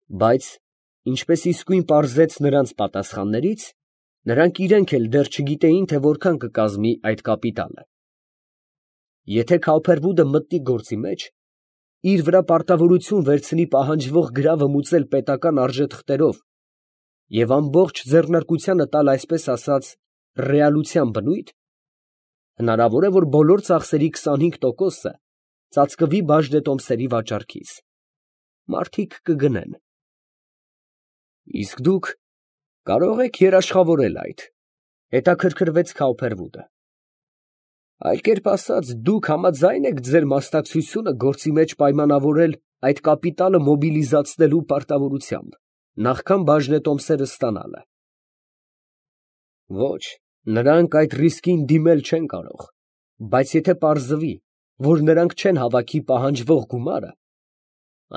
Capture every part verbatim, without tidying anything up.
Բայց, ինչպես իսկույն պարզեց նրանց պատասխաններից, նրանք իրանք էլ դեռ չգիտեին, թե որքան կկազմի այդ կապիտալը։ Եթե Քավփերվուդը մտնի գործի մեջ, իր վրա պարտավորություն վերցնի պահանջվող գրավը մուծել պետական արժեթղթերով և ամբողջ ձեռնարկությանը տալ այսպես ասած ռեալության բնույթ, հնարավոր է, որ բոլոր ծախսերի քսանհինգ տոկոսը ծածկվի բաժնետոմսերի վաճառքից, մարդիկ կգնեն։ ֊ Իսկ դուք կարող եք երաշխավորել այդ, ֊ հետաքրքրվեց Քավփերվուդը։ ֊ Այլ կերպ ասած, դուք համաձա՞յն եք ձեր մասնակցությունը գործի մեջ պայմանավորել այդ կապիտալը մոբիլիզացնելու պարտավորությամբ, նախքան բաժնետոմսերը ստանալը։ ֊ Ոչ, նրանք այդ ռիսկին դիմել չեն կարող, բայց եթե պարզվի, որ նրանք չեն հավաքի պահանջվող գումարը,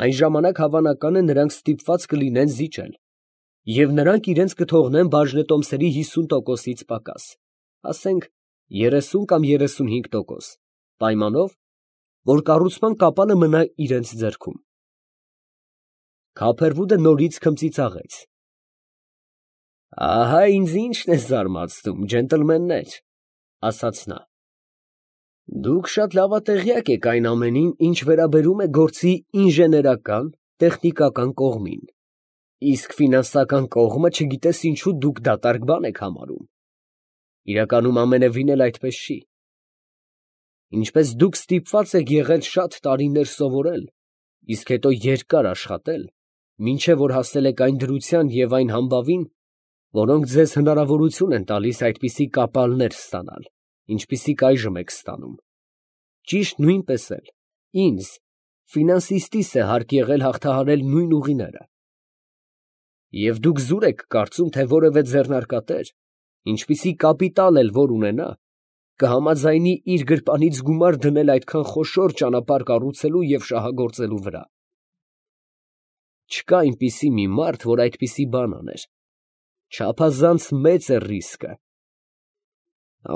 այն ժամանակ հավանական է նրանք ստիպված կլինեն զիջել, և նրանք իրանց կթողնեն բաժնետոմսերի հիսուն տոկոսից պակաս, ասենք երեսուն կամ երեսունհինգ տոկոս, պայմանով, որ կառուցման կապանը մնա իրանց ձեռքում։ Քավփերվուդը նորից քմծիծաղեց։ ֊ Ահա ինձ ի՞նչն է զարմացնում, ջենտլմեններ, ֊ ասաց նա. դուք շատ լավատեղյակ եք այն ամենին, ինչ վերաբերում է գործի ինժեներական, տեխնիկական կողմին, իսկ ֆինանսական կողմը չգիտես ինչու դուք դատարկ բան եք համարում. իրականում ամենևին էլ այդպես չի։ Ինչպես դուք ստիպված եք եղել շատ տարիներ սովորել, իսկ հետո երկար աշխատել, մինչև որ հասել եք այն դրության և այն համբավին, որոնք ձեզ հնարավորություն են տալիս այդպիսի կապալներ ստանալ, ինչպիսիք այժմ եք ստանում, ճիշտ նույնպես էլ ինձ, ֆինանսիստիս է հարկ եղել հաղթահարել նույն ուղիները։ Եվ դուք զուր եք կարծում, թե որևէ ձեռնարկատեր, ինչպիսի կապիտալ էլ որ ունենա, կհամաձայնի իր գրպանից գումար դնել այդքան խոշոր ճանապարհ կառուցելու և շահագործելու վրա։ Չկա այնպիսի մի մարդ, որ այդպիսի բան աներ, չափազանց մեծ է ռիսկը։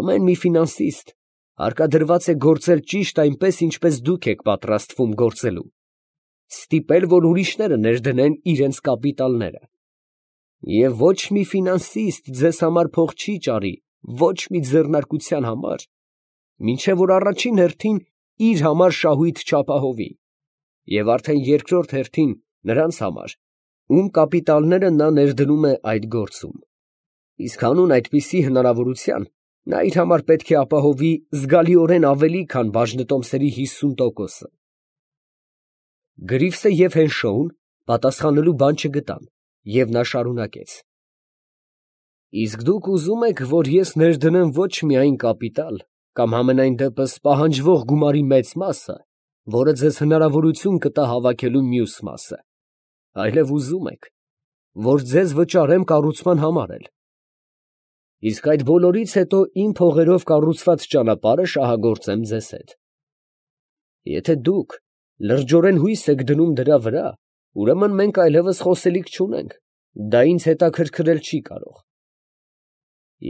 Ամեն մի ֆինանսիստ հարկադրված է գործել ճիշտ այնպես, ինչպես դուք եք պատրաստվում գործելու, ստիպել, որ ուրիշները ներդնեն իրենց կապիտալները։ Եվ ոչ մի ֆինանսիստ ձեզ համար փող չի ճարի ոչ մի ձեռնարկության համար, մինչև որ առաջին հերթին իր համար շահույթ չապահովի, և արդեն երկրորդ հերթին նրանց համար, ում կապիտալները նա ներդնում է այդ գործում, իսկ հանուն այդպիսի հնարավորության նա իր համար պետք է ապահովի զգալիորեն ավելի, քան բաժնետոմսերի հիսուն տոկոսը։ Գրիվսը և Հենշոուն պատասխանելու բան չգտան, և նա շարունակեց. իսկ դուք ուզում եք, որ ես ներդնեմ ոչ միայն կապիտալ, կամ համենայն դեպս պահանջվող գումարի մեծ մասը, որը ձեզ հնարավորություն կտա հավաքելու մյուս մասը, այլև ուզում եք, որ ձեզ վճարեմ կառուցման համար էլ, իսկ այդ բոլորից հետո իմ փողերով կառուցված ճանապարհը շահագործեմ ձեզ հետ։ Եթե դուք լրջորեն հույս եք դնում դրա վրա, ուրեմն մենք այլևս խոսելիք չունենք, դա ինձ հետաքրքրել չի կարող։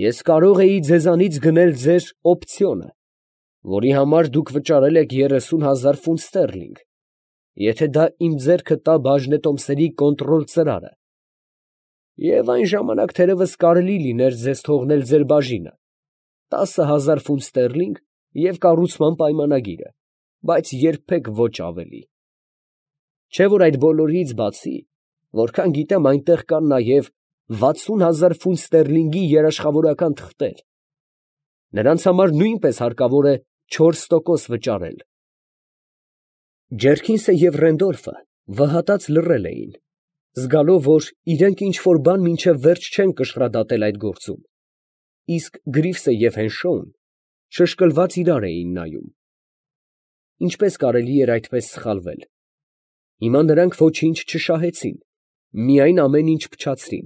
Ես կարող էի ձեզանից գնել ձեր օպցիոնը, որի համար դուք վճարել եք երեսուն հազար ֆունտ ստերլինգ, եթե դա իմ ձեռքը տա բաժնետոմսերի կոնտրոլ ծրարը, և այն ժամանակ թերևս կարելի լիներ ձեզ թողնել ձեր բաժինը, տասը հազար ֆունտ ստերլինգ և կառուցման պայմանագիրը, բայց երբեք ոչ ավելի։ Չէ՞ որ այդ բոլորից բացի, որքան գիտեմ, այնտեղ կան նաև վաթսուն հազար ֆունտ ստերլինգի երաշխավորական թղթեր. նրանց համար նույնպես հարկավոր է չորս տոկոս վճարել։ Ջերքինսը և Ռենդոլֆը վհատած լռել էին, զգալով, որ իրենք ինչ֊որ բան մինչև վերջ չեն կշռադատել այդ գործում, իսկ Գրիվսը և Հենշոուն շշկլված իրար էին նայում։ Ինչպես կարելի էր այդպես սխալվել։ Հիմա նրանք ոչինչ չշահեցին, միայն ամեն ինչ փչացրին։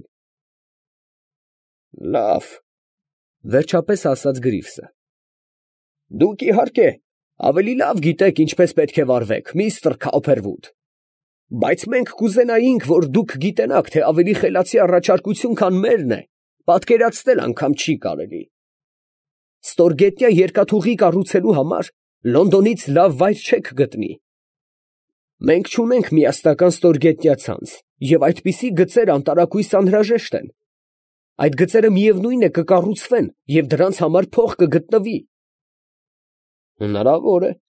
֊ Լավ, ֊ վերջապես ասաց Գրիվսը, ֊ դուք, իհարկե, ավելի լավ գիտեք ինչպես պետք է վարվեք, միստր Քավփերվուդ, բայց մենք կուզենայինք, որ դուք գիտենաք, թե ավելի խելացի առաջարկություն, քան մերն է, պատկերացնել անգամ չի կարելի։ Ստորգետնյա երկաթուղի կառուցելու համար Լոնդոնից լավ վայր չեք գտնի։ Մենք չունենք միասնական ստորգետնյա ցանց, և այդպիսի գծեր անտարակույս անհրաժեշտ են. այդ գծերը միևնույն է կկառուցվեն, և դրանց համար փող կգտնվի։ ֊ Հնարավոր է, ֊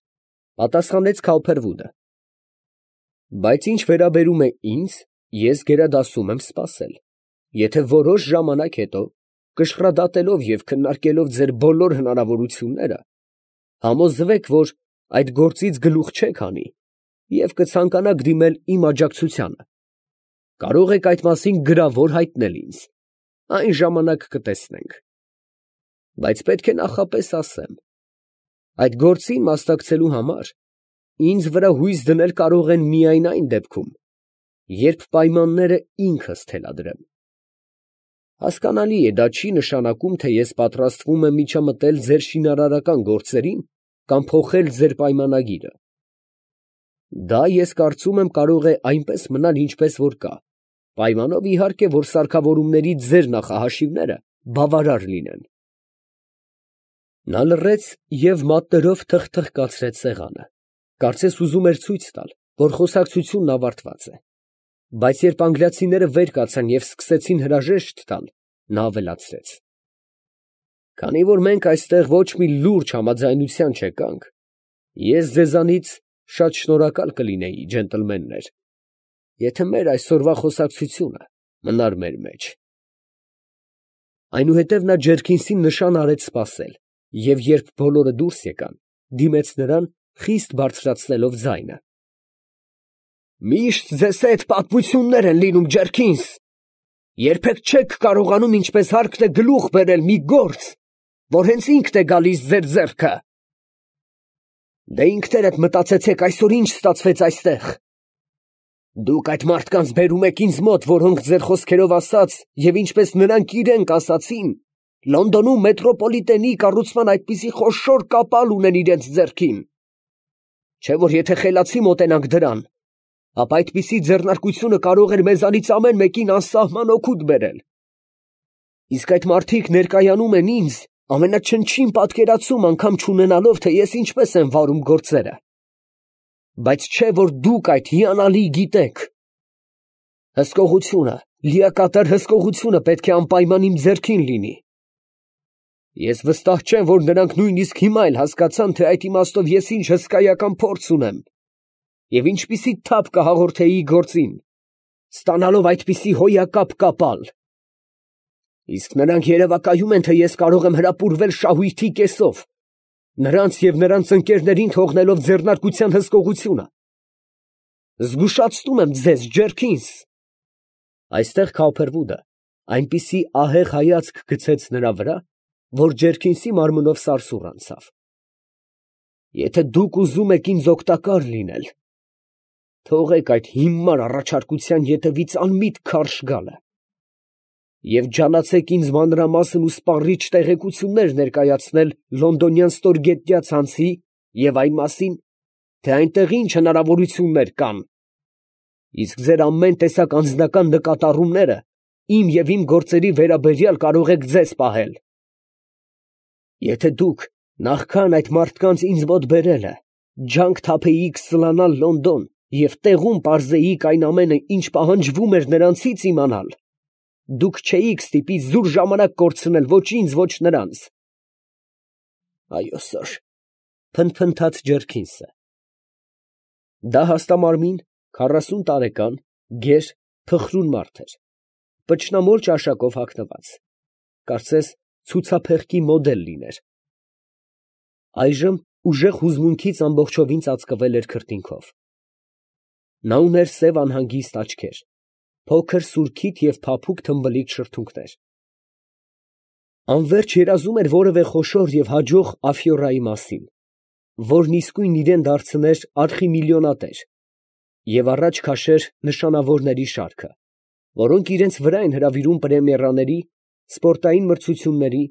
պատասխանեց Քալփերվուդը, ֊ բայց ինչ վերաբերում է ինձ, ես գերադասում եմ սպասել, եթե որոշ ժամանակ հետո, կշռադատելով և քննարկելով ձեր բոլոր հնարավորությունները, համոզվեք, որ այդ գործից գլուխ չեք հանի և կցանկանաք դիմել իմ աջակցությանը, կարող եք այդ մասին գրավոր հայտնել ինձ, այն ժամանակ կտեսնենք, բայց պետք է նախապես ասեմ, այդ գործին մասնակցելու համար ինձ վրա հույս դնել կարող են միայն այն դեպքում, երբ պայմանները ինքս թելադրեմ։ Հասկանալի է, դա չի նշանակում, թե ես պատրաստվում եմ միջամտել ձեր շինարարական գործերին կամ փոխել ձեր պայմանագիրը։ Դա, ես կարծում եմ, կարող է այնպես մնալ, ինչպես որ կա, պայմանով իհարկե, որ սարքավորումների ձեր նախահաշիվները բավարար լինեն։ Նա լռեց և մատներով թխթխկացրեց սեղանը, կարծես ուզում էր ցույց տալ, որ խոսակցությունն ավարտված է, բայց երբ անգլիացիները վեր կացան և սկսեցին հրաժեշտ տալ, նա ավելացրեց. «Քանի որ մենք այստեղ ոչ մի լուրջ համաձայնության չեկանք, ես ձեզանից շատ շնորհակալ կլինեի, ջենտլմեններ, եթե մեր այսօրվա խոսակցությունը մնար մեր մեջ»։ Այնուհետև նա Ջերքինսին նշան արեց սպասել, և երբ բոլորը դուրս եկան, դիմեց նրան, խիստ բարձրացնելով ձայնը. «Միշտ ձեզ հետ պատմություններ են լինում, Ջերքինս. երբեք չեք կարողանում ինչպես հարկն է գլուխ բերել մի գործ, որ հենց ինքն է գալիս ձեր ձեռքը։ Դե ինքներդ մտածեցեք այսօր ինչ ստացվեց այստեղ. դուք այդ մարդկանց բերում եք ինձ մոտ, որոնք ձեր խոսքերով ասած, և ինչպես նրանք իրենք ասացին, Լոնդոնում մետրոպոլիտենի կառուցման այդպիսի խոշոր կապալ ունեն իրենց ձեռքին, չէ՞ որ եթե խելացի մոտենանք դրան, ապա այդպիսի ձեռնարկությունը կարող էր մեզանից ամեն մեկին անսահման օգուտ բերել։ Իսկ այդ մարդիկ ներկայանում են ինձ, ամենաչնչին պատկերացում անգամ չունենալով, թե ես ինչպես եմ վարում գործերը, բայց չէ որ դուք այդ հիանալի գիտեք։ Հսկողությունը, լիակատար հսկողությունը պետք է անպայման իմ ձեռքին լինի։ Ես վստահ չեմ, որ նրանք նույնիսկ հիմա էլ հասկացան, թե այդ իմաստով ես ինչ հսկայական փորձ ունեմ և ինչպիսի թափ կհաղորդեի գործին, ստանալով այդպիսի հոյակապ կապալ։ Իսկ նրանք երևակայում են, թե ես կարող եմ հրապուրվել շահույթի կեսով, նրանց և նրանց ընկերներին թողնելով ձեռնարկության հսկողությունը։ Զգուշացնում եմ ձեզ, Ջերքինս։ Այստեղ Քալփերվուդը այնպիսի ահեղ հայացք գցեց նրա վրա, որ Ջերքինսի մարմնով սարսուռ անցավ։ Եթե դուք ուզում եք ինձ օգտակար լինել, թողեք այդ հիմար առաջարկության ետևից անմիտ քարշ գալը և ջանացեք ինձ մանրամասն ու սպառիչ տեղեկություններ ներկայացնել լոնդոնյան ստորգետնյա ցանցի և այն մասին, թե այնտեղ ինչ հնարավորություններ կան, իսկ ձեր ամեն տեսակ անձնական նկատառումները իմ և իմ գործերի վերաբերյալ կարող եք ձեզ պահել։ Եթե դուք նախքան այդ մարդկանց ինձ մոտ բերելը, ջանք թափեիք սլանալ Լոնդոն և տեղում պարզեիք այն ամենը, ինչ պահանջվում էր նրանցից իմանալ, դուք չէիք ստիպի զուր ժամանակ կորցնել ոչ ինձ, ոչ նրանց։ Այո, սըր, ֊ փնթփնթաց Ջերքինսը։ Դա հաստամարմին, քառասուն տարեկան, գեր, փխրուն մարդ էր, պճնամոլ ճաշակով հագնված, կարծես ցուցափեղկի մոդել լիներ։ Այժմ ուժեղ հուզմունքից ամբողջովին ծածկվել էր քրտինքով։ Նա ուներ սև անհանգիստ աչքեր, փոքր սուրքիթ և փափուկ թմբլիկ շրթունքներ։ Անվերջ երազում էր որևէ խոշոր և հաջող աֆյուրայի մասին, որն իսկույն իրան դարձներ արխիմիլիոնատեր և առաջ քաշեր նշանավորների շարքը, որոնք իրենց վրա են հրավիրում պրեմիերաների, սպորտային մրցությունների,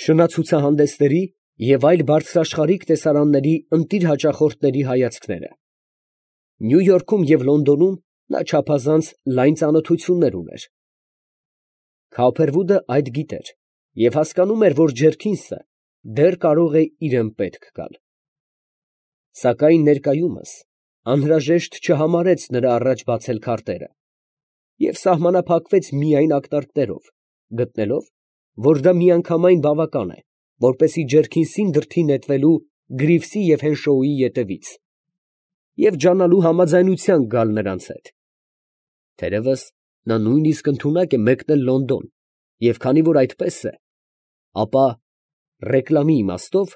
շնացուցահանդեսների և այլ բարձրաշխարհիկ տեսարանների ընտիր հաճախորդների հայացքները։ Նյու Յորքում և Լոնդոնում նա չափազանց լայն ծանոթություններ ուներ։ Քալփերվուդը այդ գիտեր և հասկանում էր, որ Ջերքինսը դեռ կարող է իրան պետք գալ։ Սակայն ներկայումս անհրաժեշտ չհամարեց նրա առաջ բացել քարտերը և սահմանափակվեց միայն ակնարկներով, գտնելով, որ դա միանգամայն բավական է, որպեսզի ձեռքին սին դրդի նետվելու Գրիվսի և Հենշոուի ետևից և ջանալու համաձայնության գալ նրանց հետ. թերևս նա նույնիսկ ընդունակ է մեկնել Լոնդոն, և քանի որ այդպես է, ապա ռեկլամի իմաստով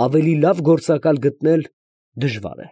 ավելի լավ գործակալ գտնել դժվար է։